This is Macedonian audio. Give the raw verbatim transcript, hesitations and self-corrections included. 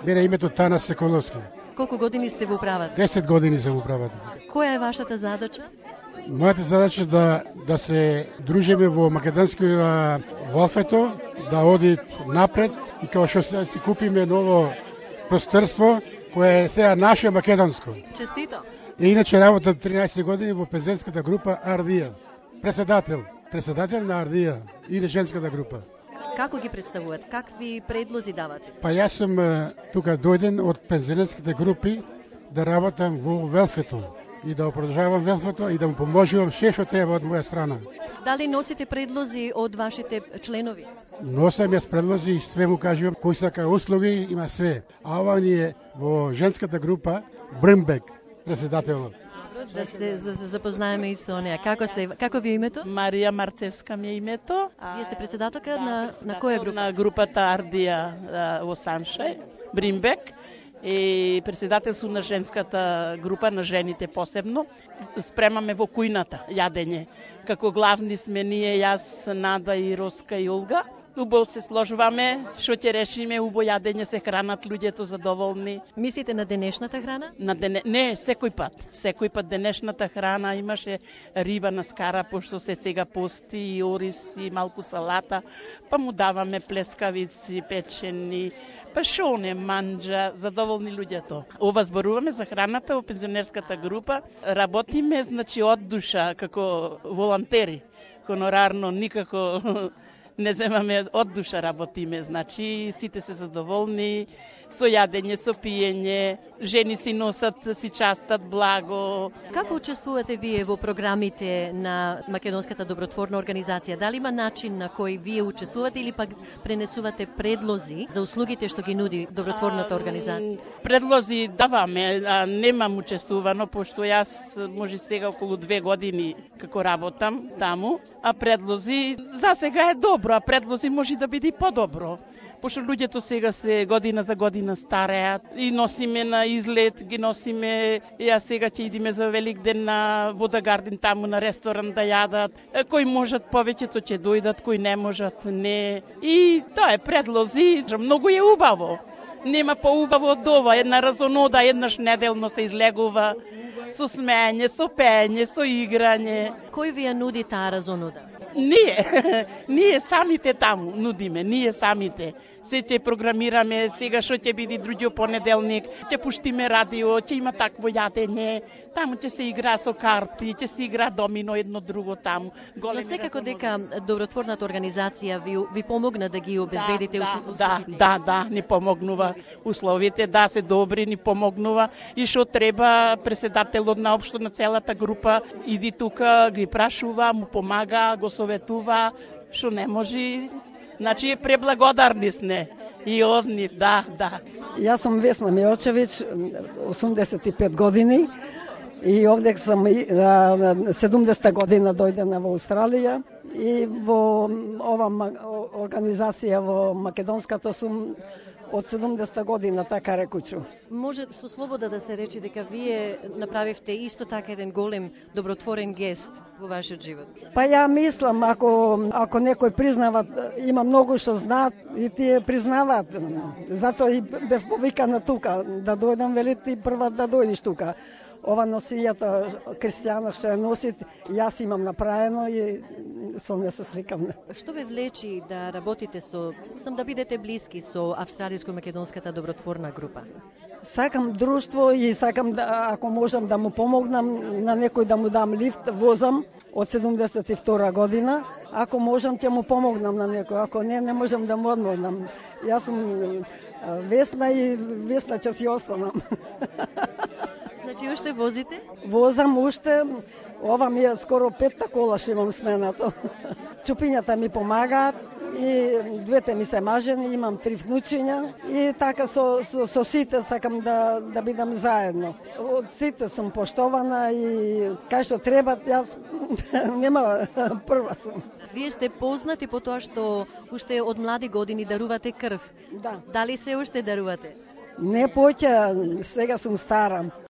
Мене името Тана Секоловски. Колку години сте во управата? десет години сум во управата. Која е вашата задача? Мојата задача да да се дружиме во македонскиот Волфето, да оди напред и како што се си купиме ново просторство кое е сега наше македонско. Честито. И иначе работам тринаесет години во пензионерската група Ардија. Председател, председател на Ардија и на женската група. Како ги представуват? Какви предлози давате? Па јас сум тука дојден од пензионерските групи да работам во Велфето и да продолжавам Велфето и да му поможувам се што треба од моја страна. Дали носите предлози од вашите членови? Носам јас предлози и све му кажувам кои сака услуги, има све. А ова ни е во женската група Брмбек, председателот. Да се да се запознаеме и со неа. Како сте? Како ви е името? Марија Марцевска ми е името. Вие сте председателка да, на на која група? На групата Ардија во Саншај, Бримбек. И председател сум на женската група, на жените посебно. Спремаме во кујната јадење. Како главни сме ние, јас, Нада и Роска и Олга. Убаво се сложуваме, што ќе решиме, убаво јадење, се хранат луѓето задоволни. Мислите на денешната храна? На дене... Не, секој пат. Секој пат денешната храна имаше риба на скара, пошто се сега пости и ориз и малку салата, па му даваме плескавици, печени, па шо не манџа, задоволни луѓето. Ова зборуваме за храната во пензионерската група. Работиме, значи, од душа, како волонтери. Хонорарно, никако не земаме, од душа работиме. Значи, сите се задоволни, со јадење, со пиење, жени си носат, си частат благо. Како учествувате вие во програмите на Македонската добротворна организација? Дали има начин на кој вие учествувате или пак пренесувате предлози за услугите што ги нуди добротворната организација? А, предлози даваме, а немам учествувано, пошто јас може сега околу две години како работам таму, а предлози за сега е добро, а предлози може да биде и подобро. Пошто луѓето сега се година за година стареат и носиме на излет, ги носиме, ја сега ќе идиме за Велик ден на Водагардин таму на ресторан да јадат. Кои можат повеќето ќе дојдат, кои не можат не. И тоа е предлози, многу е убаво. Нема поубаво од ова, една разонода еднаш неделно се излегува со смеење, со пеење, со играње. Кој ви ја нуди таа разонода? Ние, ние самите таму нудиме, ние самите. Се ќе програмираме, сега што ќе биде други понеделник, ќе пуштиме радио, ќе има такво јадење, таму ќе се игра со карти, ќе се игра домино едно друго таму. Но секако дека добротворната организација ви, ви помогна да ги обезбедите да, условите? Да, да, да, ни помогнува условите, да, се добри, ни помогнува и што треба председателот на општо на целата група иди тука, ги прашува, му помага, го советува, што не може. Значи, преблагодарни сме и од нив, да, да. Јас сум Весна Миочевиќ, осумдесет и пет години и овде сум седумдесета година дојдена во Австралија и во ова организација во Македонската сум од седумдесета година, така рекучу. Може со слобода да се рече дека вие направивте исто така еден голем добротворен гест во вашиот живот? Па ја мислам, ако, ако некој признава, има многу што знаат и тие признаваат. Затоа и бев повикана тука, да дојдам, вели ти прва да дојдеш тука. Ова носијата Кристијано што ја носи, јас имам направено и со не се сликам. Што ве влечи да работите со, сам да бидете блиски со австралиско-македонската добротворна група? Сакам друштво и сакам да, ако можам да му помогнам на некој да му дам лифт, возам од седумдесет и втора година. Ако можам ќе му помогнам на некој, ако не, не можам да му одморнам. Јас сум Весна и Весна ќе си останам. Значи уште возите? Возам уште. Ова ми е скоро петта кола што имам сменато. Чупињата ми помагаат и двете ми се мажени, имам три внучиња и така со, со, со сите сакам да, да бидам заедно. Од сите сум поштована и кај што треба, јас нема прва сум. Вие сте познати по тоа што уште од млади години дарувате крв. Да. Дали се уште дарувате? Не поќе, сега сум стара.